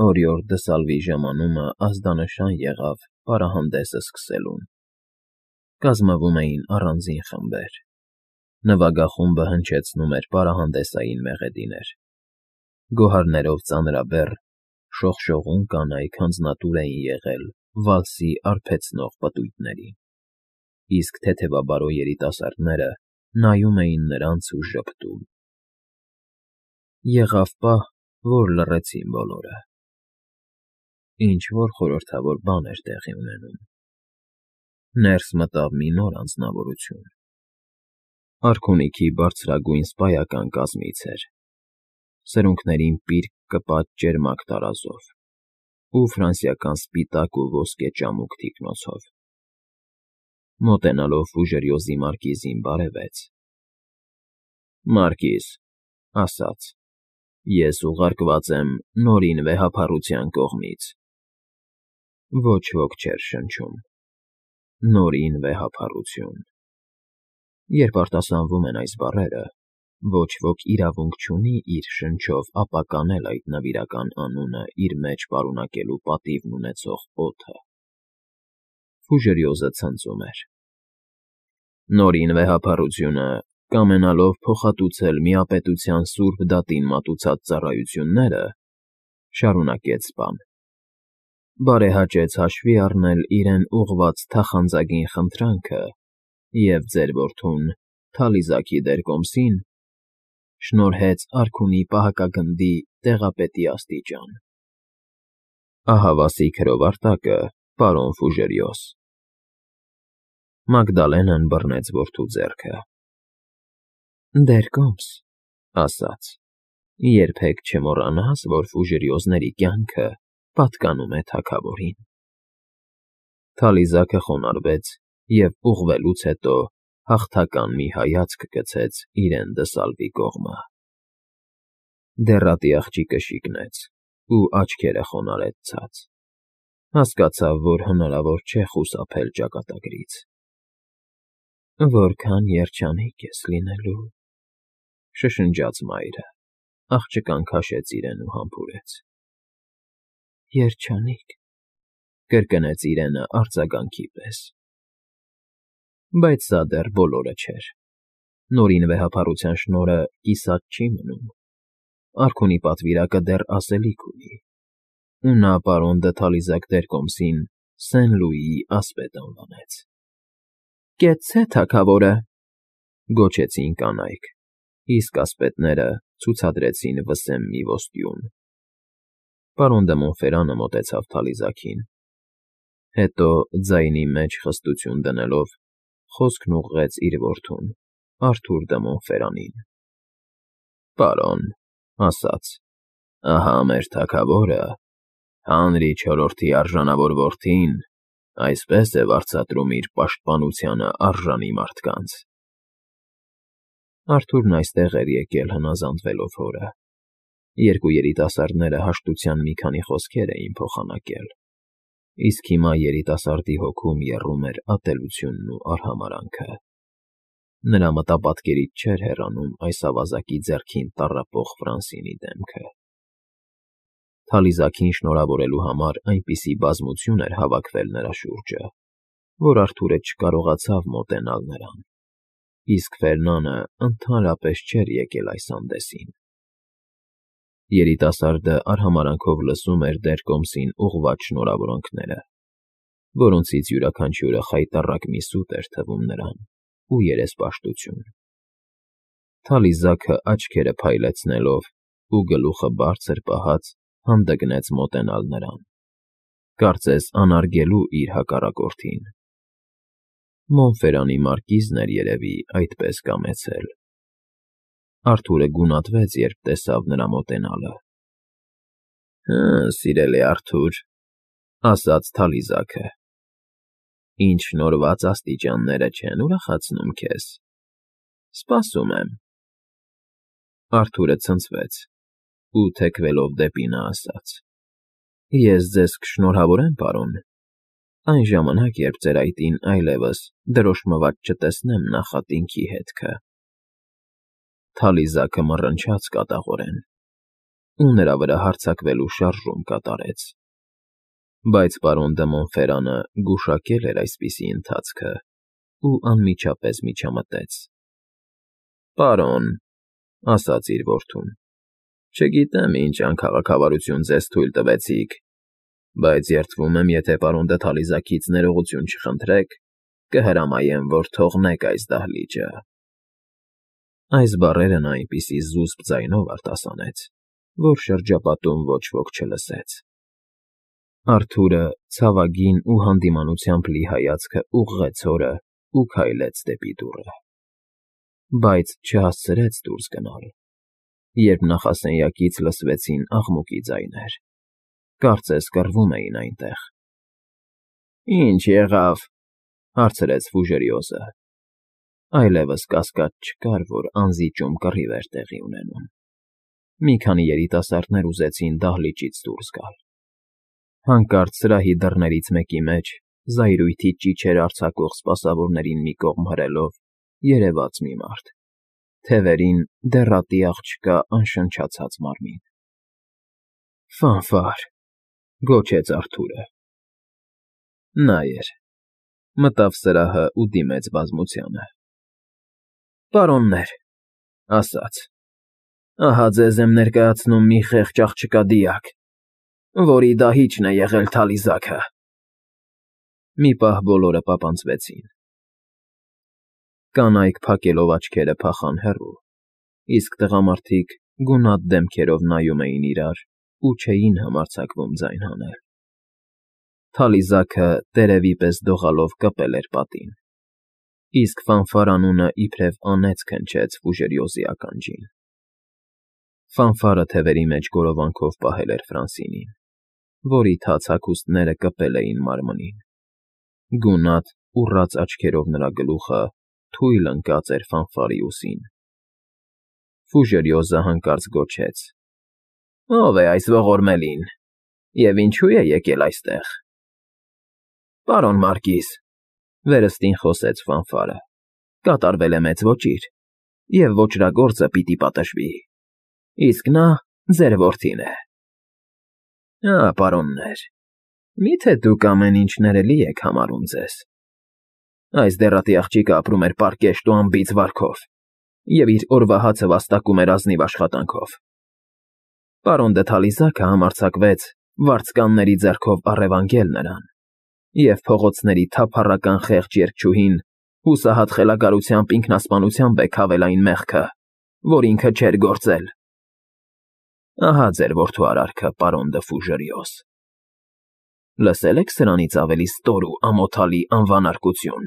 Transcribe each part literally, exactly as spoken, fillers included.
Օրիորդ դը Սալվիի ժամանումը ազդանշան եղավ պարահանդեսը սկսելուն։ Կազմվում էին առանձին խմբեր։ Նվագախումբը հնչեցնում էր պարահանդեսային մեղեդիներ։ Գոհարներով ծանրաբեռ, շողշողուն կանայք հանձնատուր էին եղել վալսի արբեցնող պտույտներին, իսկ թեթևաբարո երիտասարդները նայում էին նրանց ու ժպտում։ Եղավ պահ, որ լռեցին բոլորը։ Ինչ-որ խորհրդավոր բան էր տեղի ունենում։ Ներս մտավ մի նոր անձնավորություն։ Արքունիքի բարձրագույն սպայական կազմից էր, սրունքներին պիրկ կպած ճերմակ տարազով ու ֆրանսիական սպիտակ ու ոսկե ճամուկ թիկնոցով։ Մոտենալով Ֆուժերյոզի մարկիզին բարևեց։ ֊ Մարկիզ, ասաց, ես ուղարկված եմ Նորին վեհափառության կողմից։ Ոչ ոք չէր շնչում. Նորին վեհափառություն։ Երբ արտասանվում են այս բառերը, ոչ ոք իրավունք չունի իր շնչով ապականել այդ նվիրական անունը իր մեջ պարունակելու պատիվն ունեցող օդը։ Ֆուժերյոզը ցնծում էր. Նորին վեհափառությունը, կամենալով փոխհատուցել միապետության սուրբ դատին մատուցած ծառայությունները, շարունակեց սպան, բարեհաճեց հաշվի առնել իրեն ուղղված թախանձագին խնդրանքը և ձեր որդուն Թալիզաքի դերկոմսին շնորհեց արքունի պահակագնդի տեղապետի աստիճան։ Ահավասիկ հրովարտակը, պարոն Ֆուժերյոզ։ Մագդալենան բռնեց որդու ձեռքը։ Դերկոմս, ասաց, երբեք չմոռանաս, որ Ֆուժերյոզների կյանքը պատկանում է թագավորին։ Թալիզաքը խոնարհվեց և ուղղվելուց հետո հաղթական մի հայացք գցեց իրեն դսալվի կողմը։ Դեռատի աղջիկը շիկնեց ու աչքերը խոնարհեց ցած, հասկացավ, որ հնարավոր չէ խուսափել ճակատագրից։ Որքան երջանիկ ես լինելու, շշնջաց մայրը, աղջկան քաշեց իրեն ու համբուրեց։ Երջանիկ, կրկնեց իրենը արձագանքի պես։ Բայց սա դեռ բոլորը չէր։ Նորին վեհափառության շնորհը կիսատ չի մնում։ Արքունի պատվիրակը դեռ ասելիք ունի, ու նա պարոն դը Թալիզակ դերկոմսին Սեն֊Լուիի ասպետ անվանեց։ Կեցցե թագավորը, գոչեցին կանայք, իսկ ասպետները ցուցադրեցին վսեմ մի ոսկյուն։ Պարոն դը Մոնֆերանը մոտեցավ Թալիզաքին, հետո ձայնի մեջ խստություն դնելով, խոսքն ուղղեց իր որդուն, Արթուր դը Մոնֆերանին։ Պարոն, ասաց, ահա մեր թագավորը, Հանրի չորրորդի արժանավոր որդին, այսպես է վարձատրում իր պաշտպանությանը արժանի մարդկանց։ Արթուրն այստեղ էր եկել հնազանդվելով հորը։ Երկու երիտասարդները հաշտության մի քանի խոսքեր էին փոխանակել, իսկ հիմա երիտասարդի հոգում եռում էր ատելությունն ու արհամարհանքը։ Նրա մտապատկերից չէր հեռանում այս ավազակի ձեռքին տառապող Ֆրանսինի դեմքը։ Թալիզաքին շնորհավորելու համար այնպիսի բազմություն էր հավաքվել նրա շուրջը, որ Արթուրը չկարողացավ մոտենալ նրան, իսկ Ֆերնանը ընդհանրապես չէր եկել այս հանդեսին։ Երիտասարդը արհամարհանքով լսում էր դերկոմսին ուղղված շնորհավորանքները, որոնցից յուրաքանչյուրը խայտառակ մի սուտ էր թվում նրան ու երեսպաշտություն։ Թալիզաքը աչքերը փայլեցնելով ու գլուխը բարձր պահած հանդգնեց մոտենալ նրան, կարծես անարգելու իր հակառակորդին։ Մոնֆերանի մարկիզն էր երևի այդպես կամեցել։ Արթուրը գունատվեց, երբ տեսավ նրա մոտենալը։ Հը, սիրելի Արթուր, ասաց Թալիզաքը, ինչ շնորհված աստիճանները չեն ուրախացնում քեզ։ Սպասում եմ։ Արթուրը ցնցվեց ու թեքվելով դեպի նա ասաց. Ես ձեզ կշնորհավորեմ, պարոն, այն ժամանակ, երբ ձեր այտին այլևս դրոշմված չտեսնեմ նախատինքի հետքը։ Թալիզաքը մռնչաց կատաղորեն։ ու նրա վրա հարձակվելու շարժում կատարեց։ Բայց պարոն դը Մոնֆերանը գուշակել էր այսպիսի ընթացքը ու անմիջապես միջամտեց։ ֊ Պարոն,֊ ասաց իր որդուն,֊ չգիտեմ ինչ անքաղաքավարություն ձեզ թույլ տվեցիք, բայց երդվում եմ, եթե պարոն դը Թալիզաքից ներողություն չխնդրեք, կհրամայեմ, որ թողնեք այս դահլիճը։ Այս բառերը նա այնպիսի զուսպ ձայնով արտասանեց, որ շրջապատում ոչ ոք չլսեց։ Արթուրը ցավագին ու հանդիմանությամբ լի հայացքը ուղղեց հորը ու քայլեց դեպի դուռը։ Բայց չհասցրեց դուրս գնալ, երբ նախասենյակից լսվեցին աղմուկի ձայներ, կարծես կռվում էին այնտեղ։ ֊ Ի՞նչ եղավ,֊ հարցրեց Ֆուժերիոզը։ Այլևս կասկած չկար, որ անզիջում կռիվ էր տեղի ունենում։ Մի քանի երիտասարդներ ուզեցին դահլիճից դուրս գալ։ Հանկարծ սրահի դռներից մեկի մեջ, զայրույթի ճիչեր արձակող սպասավորներին մի կողմ հրելով, երևաց մի մարդ, թևերին դեռատի աղջկա անշնչացած մարմին։ ֊ Ֆանֆար,֊ գոչեց Արթուրը։ Նա էր։ Մտավ սրահը ու դիմեց բազմությանը։ ֊ Պարոններ,֊ ասաց,֊ ահա ձեզ եմ ներկայացնում մի խեղճ աղջկա դիակ, որի դահիճն է եղել Թալիզաքը։ Մի պահ բոլորը պապանձվեցին։ Կանայք փակելով աչքերը փախան հեռու, իսկ տղամարդիկ գունատ դեմքերով նայում էին իրար ու չէին համարձակվում ձայն հանել։ Թալիզաքը տերևի պես դողալով կպել էր պատին, իսկ Ֆանֆար անունը իբրև անեծք հնչեց Ֆուժերիոզի ականջին։ Ֆանֆարը թևերի մեջ գորովանքով պահել էր Ֆրանսինին, որի թաց հագուստները կպել էին մարմնին։ Գունատ, ուռած աչքերով նրա գլուխը թույլ ընկած էր Ֆանֆարի ուսին։ Ֆուժերիոզը հանկարծ գոչեց. ֊ Ո՞վ է այս ողորմելին, և ինչու է եկել այստեղ։ ֊ Պարոն Մարկիզ,֊ վերստին խոսեց Ֆանֆարը,֊ կատարվել է մեծ ոճիր, և ոճրագործը պիտի պատժվի, իսկ նա ձեր որդին է։ ֊ Ա, պարոններ, մի՞թե դուք ամեն ինչ ներելի եք համարում ձեզ։ Այս դեռատի աղջիկը ապրում էր պարկեշտ ու անբիծ վարքով և իր օրվա հացը վաստակում էր ազնիվ աշխատանքով։ Պարոն դը Թալիզաքը համարձակվեց վարձկանների ձեռքով առևանգել նրան, և փողոցների թափառական խեղճ երգչուհին հուսահատ խելագարությամբ ինքնասպանությամբ է քավել այն մեղքը, որ ինքը չէր գործել։ Ահա ձեր որդու արարքը, պարոն դը Ֆուժերիոզ։ Լսե՞լ եք սրանից ավելի ստոր ու ամոթալի անվանարկություն։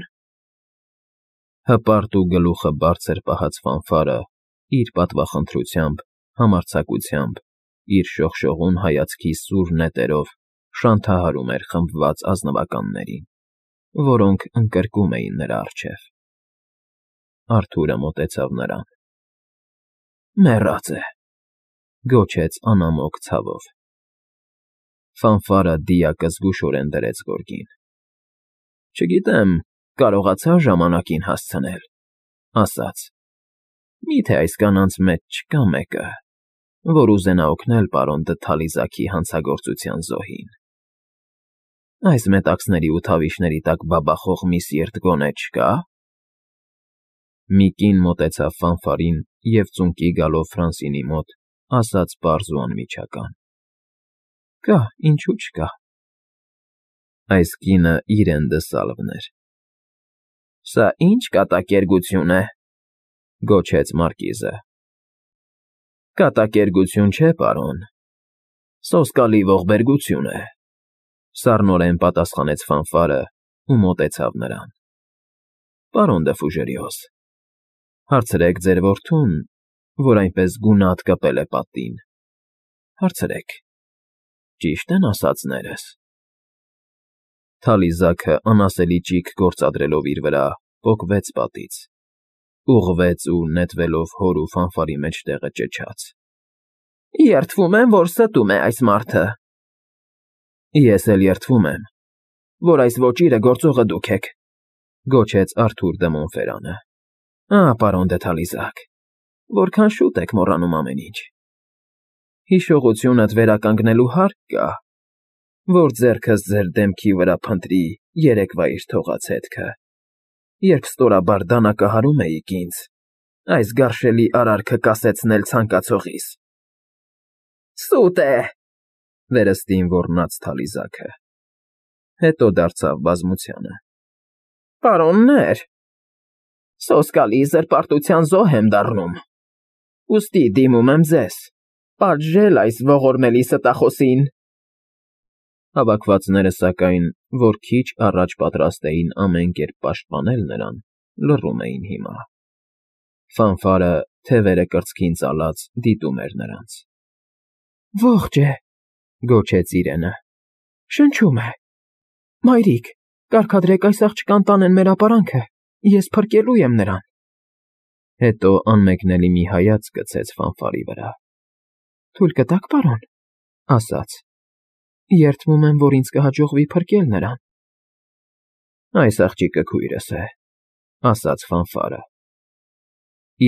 Հպարտ ու գլուխը բարձր պահած Ֆանֆարը իր պատվախնդրությամբ, համարձակությամբ, իր շողշողուն հայացքի սուր նետերով շանթահարում էր խմբված ազնվականներին, որոնք ընկրկում էին նրա առջև։ Արթուրը մոտեցավ նրան։ ֊ Մեռած է,֊ գոչեց անամոք ցավով։ Ֆանֆարը դիակը զգուշորեն դրեց գորգին։ ֊ Չգիտեմ, կարողացա՞ ժամանակին հասցնել,֊ ասաց,֊ մի՞թե այս կանանց մեջ չկա մեկը, որ ուզենա օգնել պարոն դը Թալիզաքի հանցագործության զոհին։ Այս մետաքսների ու թավիշների տակ բաբախող մի սիրտ գոնե չկա՞։ Մի կին մոտեցավ Ֆանֆարին և ծունկի գալով Ֆրանսինի մոտ ասաց պարզ ու անմիջական. ֊ Կա, ինչու չկա։ Այս կինը իրեն դսալվն էր։ ֊ Սա ի՞նչ կատակերգություն է,֊ գոչեց մարկիզը։ ֊ Կատակերգություն չէ, պարոն, սոսկալի ողբերգություն է,֊ սառնորեն պատասխանեց Ֆանֆարը ու մոտեցավ նրան։ ֊ Պարոն դը Ֆուժերիոզ, հարցրեք ձեր որդուն, որ այնպես գունատ կպել է պատին, հարցրեք, ճի՞շտ են ասածներս։ Թալիզաքը անասելի ճիգ գործադրելով իր վրա, պոկվեց պատից, ուղղվեց ու նետվելով հոր ու Ֆանֆարի մեջտեղը ճչաց. ֊ Երդվում եմ, որ ստում է այս մարդը։ ֊ Ես էլ երդվում եմ, որ այս ոճիրը գործողը դուք եք,֊ գոչեց Արթուր դը Մոնֆերանը։ ֊ Ա, պարոն դը Թալիզաք, որքան շուտ եք մոռանում ամեն ինչ։ Հիշողությունդ վերականգնելու հարկ կա, որ ձեռքս ձեր դեմքի վրա փնտրի երեկվա իր թողած հետքը, երբ ստորաբար դանակահարում էիք ինձ, այս գարշելի արարքը կասեցնել ցանկացողիս։ ֊ Սուտ է,֊ վերստին ոռնաց Թալիզաքը, հետո դարձավ բազմությանը։ ֊ Պարոննե՛ր, սոսկալի զրպարտության զոհ եմ դառնում, ուստի դիմում եմ ձեզ, պատժել այս ողորմելի ստախոսին… Հավաքվածները, սակայն, որ քիչ առաջ պատրաստ էին ամեն կերպ պաշտպանել նրան, լռում էին հիմա։ Ֆանֆարը, թևերը կրծքին ծալած, դիտում էր նրանց։ ֊ Ողջ է,֊ գոչեց Իրենը,֊ շնչում է… Մայրիկ, կարգադրեք այս աղջկան տանեն մեր ապարանքը, ես փրկելու եմ նրան… Հետո անմեկնելի մի հայացք գցեց Ֆանֆարի վրա։ ֊ Թույլ կտա՞ք, պարոն,֊ ասաց,֊ երդվում եմ, որ ինձ կհաջողվի փրկել նրան… Այս աղջիկը քույրս է,֊ ասաց Ֆանֆարը։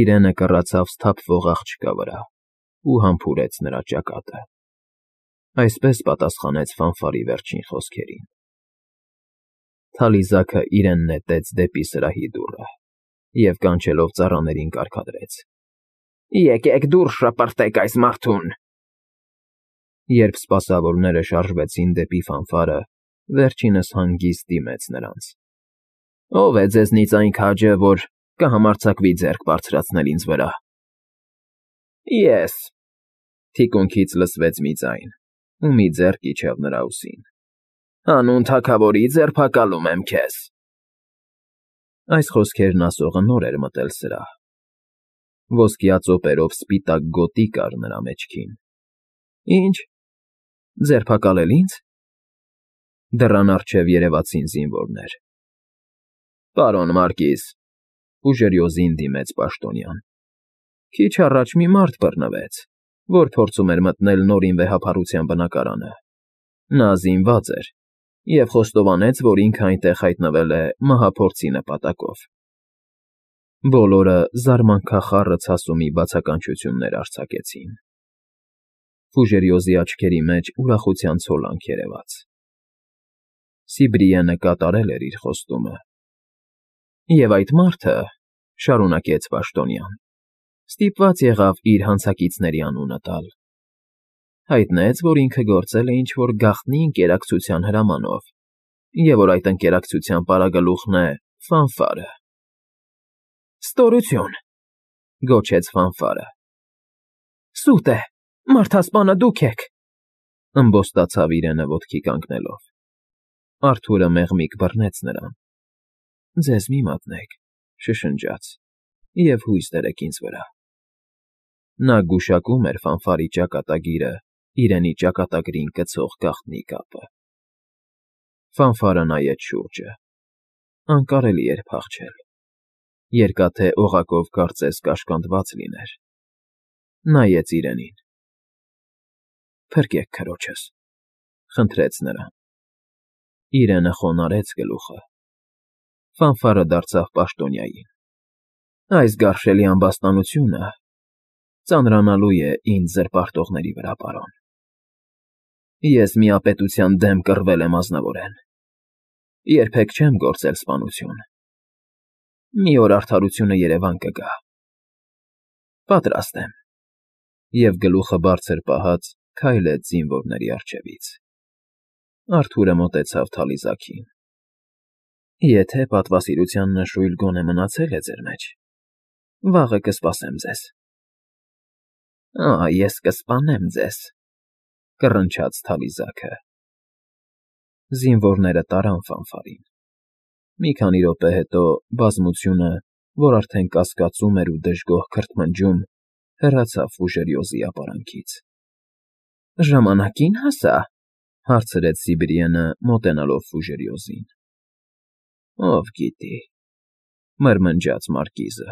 Իրենը կռացավ սթափվող աղջկա վրա ու համբուրեց նրա ճակատը։ Այսպես պատասխանեց Ֆանֆարի վերջին խոսքերին։ Թալիզաքը իրեն նետեց դեպի սրահի դուռը և կանչելով ծառաներին կարգադրեց. «Եկեք դուռ շպրտեք այս մարդուն»։ Երբ սպասավորները շարժվեցին դեպի Ֆանֆարը, վերջինս հանգիստ դիմեց նրանց. ֊ Ո՞վ է ձեզնից այն քաջը, որ կհամարձակվի ձեռք բարձրացնել ինձ վրա։ ֊ Ես,֊ թիկունքից լսվեց մի ձայն, ու մի ձեռք իջավ նրա ուսին։ ֊ Հանուն թագավորի ձերբակալում եմ քեզ… Այս խոսքերն ասողը նոր էր մտել սրահ։ Ոսկյա ծոպերով սպիտակ գոտի կար նրա մեջքին։ ֊ Ի՞նչ, ձերբակալել ինձ… Դռան առջև երևացին զինվորներ։ ֊ Պարոն Մարկիզ,֊ ուժերյոզին դիմեց պաշտոնյան,֊ քիչ առաջ մի մարդ բռնվեց, որ փորձում էր մտնել Նորին վեհափառության բնակարանը։ Նա զինված էր և խոստովանեց, որ ինքը այնտեղ հայտնվել է մահափորձի նպատակով։ Բոլորը զարմանքախառը ցասումի բացականչություններ արձակեցին։ Ֆուժերյոզի աչքերի մեջ ուրախության ցոլանք երևաց։ Սիբրիենը կատարել էր իր խոստումը։ Եվ այդ մարդը, շարունակեց պաշտոնյան, ստիպված եղավ իր հանցակիցների անունը տալ։ Հայտնեց, որ ինքը գործել է ինչ֊որ գաղտնի ընկերակցության հրամանով, և որ այդ ընկերակցության պարագլուխն է Ֆանֆարը։ ֊ Ստորություն,֊ գոչեց Ֆանֆարը։ ֊ Սուտ է, մարդասպանը դուք եք,֊ ըմբոստացավ Իրենը ոտքի կանգնելով։ Արթուրը մեղմիկ բռնեց նրան։ ֊ Ձեզ մի մատնեք,֊ շշնջաց,֊ և հույս դրեք ինձ վրա… Նա գուշակում էր Ֆանֆարի ճակատագիրը Իրենի ճակատագրին կցող գաղտնի կապը։ Ֆանֆարը նայեց շուրջը։ Անկարելի էր փախչել։ Երկաթե օղակով կարծես կաշկանդված լիներ։ Նայեց Իրենին։ ֊ Փրկեք քրոջս,֊ խնդրեց նրան։ Իրենը խոնարհեց գլուխը։ Ֆանֆարը դարձավ պաշտոնյային։ ֊ Այս գարշելի ամբաստանությունը ծանրանալու է ինձ զրպարտողների վրա, պարոն… Ես միապետության դեմ կռվել եմ ազնվորեն։ Երբեք չեմ գործել սպանություն։ Մի օր արդարությունը երևան կգա… Պատրաստ եմ… Եվ գլուխը բարձր պահած քայլեց զինվորների առջևից։ Արթուրը մոտեցավ Թալիզաքին։ ֊ Եթե պատվասիրության նշույլ գոնե մնացել է ձեր մեջ, վաղը կսպասեմ ձեզ… ֊ Ա՜, ես կսպանեմ ձեզ,֊ կռնչաց Թալիզաքը։ Զինվորները տարան Ֆանֆարին։ Մի քանի րոպե հետո բազմությունը, որ արդեն կասկածում էր ու դժգոհ քրթմնջում, հեռացավ Ֆուժերյոզի ապարանքից։ ֊ Ժամանակին հասա,֊ հարցրեց Սիբրիենը, մոտենալով Ֆուժերյոզին։ ֊ Ով գիտի,֊ մրմնջաց մարկիզը։